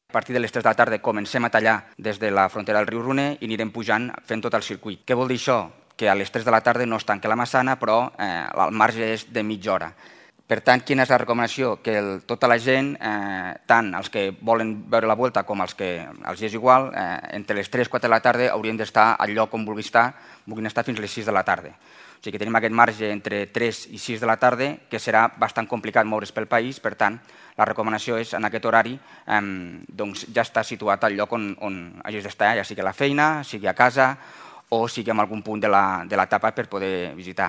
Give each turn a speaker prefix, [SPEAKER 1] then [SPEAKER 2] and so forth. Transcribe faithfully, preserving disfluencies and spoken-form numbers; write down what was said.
[SPEAKER 1] A partir de les tres de la tarda comencem a tallar des de la frontera del riu Roner i anirem pujant fent tot el circuit. Què vol dir això? Que a les tres de la tarda no es tanca la Massana, però eh, el marge és de mitja hora. Per tant, quina és la recomanació? Que el, tota la gent, eh, tant els que volen veure la Vuelta com els que els és igual, eh, entre les tres i quatre de la tarda haurien d'estar al lloc on vulguin estar, vulguin estar fins a les sis de la tarda. O sigui que tenim aquest marge entre tres i sis de la tarda, que serà bastant complicat moure's pel país, per tant, la recomanació és en aquest horari eh, doncs ja està situat al lloc on, on hagis d'estar, ja sigui a la feina, sigui a casa o sigui en algun punt de l'etapa per poder visitar.